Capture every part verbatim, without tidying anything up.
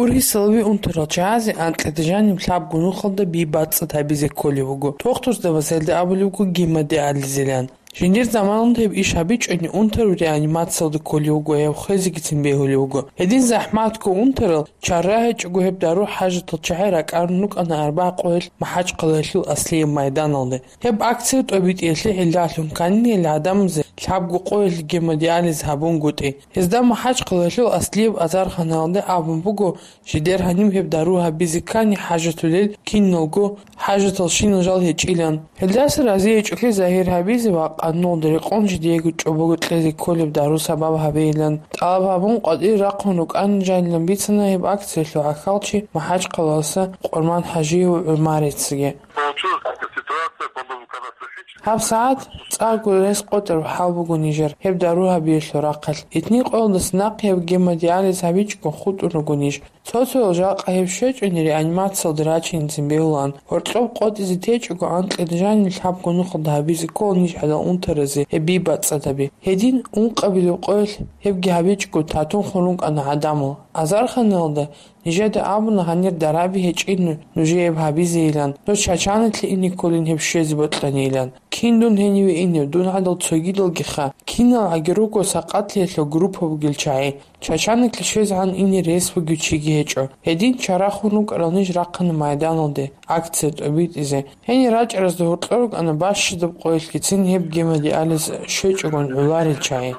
Ургьисалави унтарал чагӀазе анкьида жаниб лъабго нухалда би бацӀцӀад гьабизе кколеб буго. Тохтурзабаз гьелда абулеб буго гемодиализилан. Жиндир заманалда гьеб иш гьабичӀони, унтарал реанимациялда кколев вуго, гьев хвезегицин бегьулев вуго. Гьедин захӀматго унтарал чара гьечӀого гьеб дару хӀажатал чагӀи ракӀарун рукӀана арбагъ къоялъ МахӀачхъалаялъул Аслияб майданалде. Гьеб акция тӀобитӀиялъе гӀиллалъун кканила гӀадамазе лъабго къоялъ гемодиализ гьабунгутӀи. Гьезда МахӀачхъалаялъул Аслияб азарханалде абун буго, жидер гьаниб гьеб дару гьабизе ккани хӀажатулел киналго хӀажаталщинал жал гьечӀилан. Гьелдаса разиячӀолъи загьир гьабизе ва къануналда рекъон жидеего чӀобого кьезе кколеб дару сабаб гьабейилан тӀалаб гьабун, къватӀир рахъун рукӀанин жанилан бицана гьеб акциялъул гӀахьалчи МахӀачхъалаялъа Къурман-хӀажиев ГӀумарицаги. Получилась такая ситуация, по-моему, катастрофическая. ГьабсагӀат цӀакъго рес къотӀараб хӀал буго нижер гьеб дару гьабиялъул рахъалъ. Итни къоялдаса нахъе гьеб гемодиализ гьабичӀого хутӀун руго ниж. Цо-цоял жакъа гьеб щвечӀони реанимациялда рачинцин бегьулаан. Гьоркьоб къотӀизе течӀого анкьида жаниб лъабго нухалда гьабизе ккола ниж гӀадал унтаразе гьеб би бацӀцӀад гьаби. Гьедин ункъабилеб къоялъ гьебги гьабичӀого татун хун рукӀана гӀадамал. Азарханалда нижеда абуна гьанир дараби гьечӀин нужее гьабизейилан, нуж Чачаниклъи ине кколин гьеб щвезе бокьанийилан. Кин дун гьениве инев, дун гӀадал цогидалгиха, киналгӀаги руго сакъатлъиялъул группа бугел чагӀи. Чачаниклъи щвезегӀан ине рес бугев чиги гьечӀо. Гьедин чара хун рукӀарал ниж рахъана майданалде, акция тӀобитӀизе. Гьенир рачӀаразда гьоркьор рукӀана бащадаб къоялъгицин гьеб гемодиализ щвечӀогун гӀоларел чагӀи.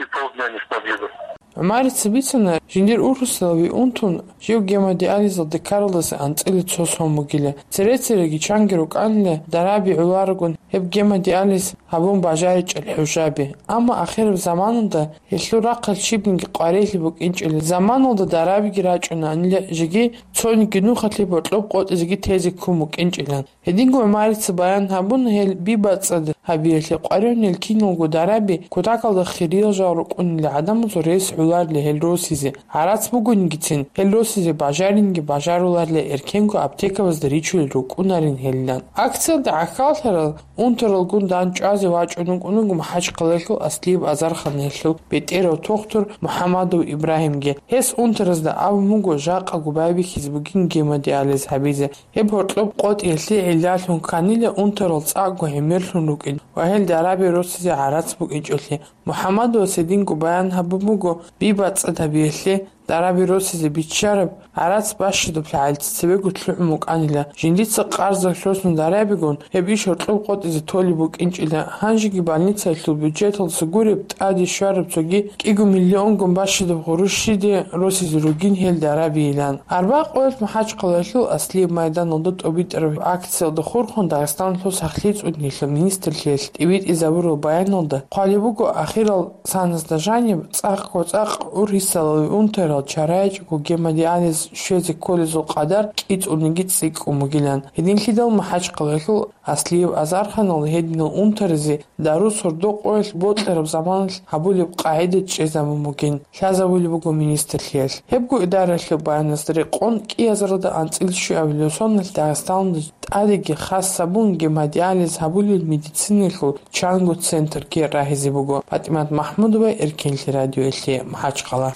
И полдня не смогли бы. ГӀумарица бицана, жиндир ургьисалави унтун, жив гемодиализалде ккаралдаса анцӀила цо сон бугила. Цере-цереги чанги рукӀанила дараби гӀоларогун гьеб гемодиализ гьабун бажаричӀел хӀужаби. Амма ахираб заманалда гьелъул рахъалъ щибниги къварилъи букӀинчӀила. Заманалда дарабиги рачӀунаанила, жеги цониги нухалъе гьоркьоб къотӀизеги тезе ккун букӀинчӀилан. Гьединго ГӀумарица баян гьабуна гьел би бацӀцӀад гьабиялъе къваригӀунел киналго дараби кутакалда хириял жал рукӀунила гӀадамазул рес гӀоларила гьел росизе, гӀарац бугониги цин, гьел росизе бажаринги бажаруларила, эркенго аптекабазда ричулел рукӀунарин гьелилан. Акциялда гӀахьаллъарал унтаралгун дандчӀвазе вачӀун вукӀун вуго МахӀачхъалаялъул Аслияб азарханалъул бетӀерав тохтур МухӀамадов Ибрагьимги. Гьес унтаразда абун буго жакъа губай бихьизе бугин гемодиализ гьабизе. Гьеб гьоркьоб къотӀиялъе гӀиллалъун кканила унтарал цӀакъго гӀемерлъун рукӀин ва гьел дараби росизе гӀарац букӀинчӀолъи. МухӀаммадовас гьединго баян гьабун буго, би бацӀцӀад гьабиялъе дараби росизе биччараб гӀарац бащадаб лъагӀалица цебего лъугӀун букӀанила, жиндица къарза лъосун дарабигун, гьеб иш гьоркьоб къотӀизе толеб букӀинчӀила, гьанжеги больницаялъул бюджеталдаса гуреб тӀаде щвараб цоги кӀиго миллионгун бащадаб гъурущ щиде росизе ругин гьел дарабийилан. Арбагъ къоялъ МахӀачхъалаялъул Аслияб майданалда тӀобитӀараб акциялда хурхун Дагъистаналъул сахлъи цӀуниялъул министрлъиялъ тӀибитӀизабураб баяналда хъвалеб буго, ахирал саназда жаниб цӀакъго-цӀакъ ургьисалави унтарал чарайчӀого гемодиализ щвезе кколезул къадар кӀицӀулниги цӀикӀкӀун бугилан. Гьединлъидал МахӀачхъалаялъул Аслияб азарханалда гьединал унтаразе дару сордо къоялъ бокьараб заманалъ гьабулеб къагӀида чӀезабун бугин, лъазабулеб буго министрлъиялъ. Гьебго идаралъул баянасда рекъон кӀиазаралда анцӀила щуабилеб соналъ Дагъистаналда тӀадеги хас гьабун гемодиализ гьабулел медицинаялъул чанго центрги рагьизе буго. ПатӀимат МахӀмудова, Эркенлъи радиоялъе, МахӀачхъала.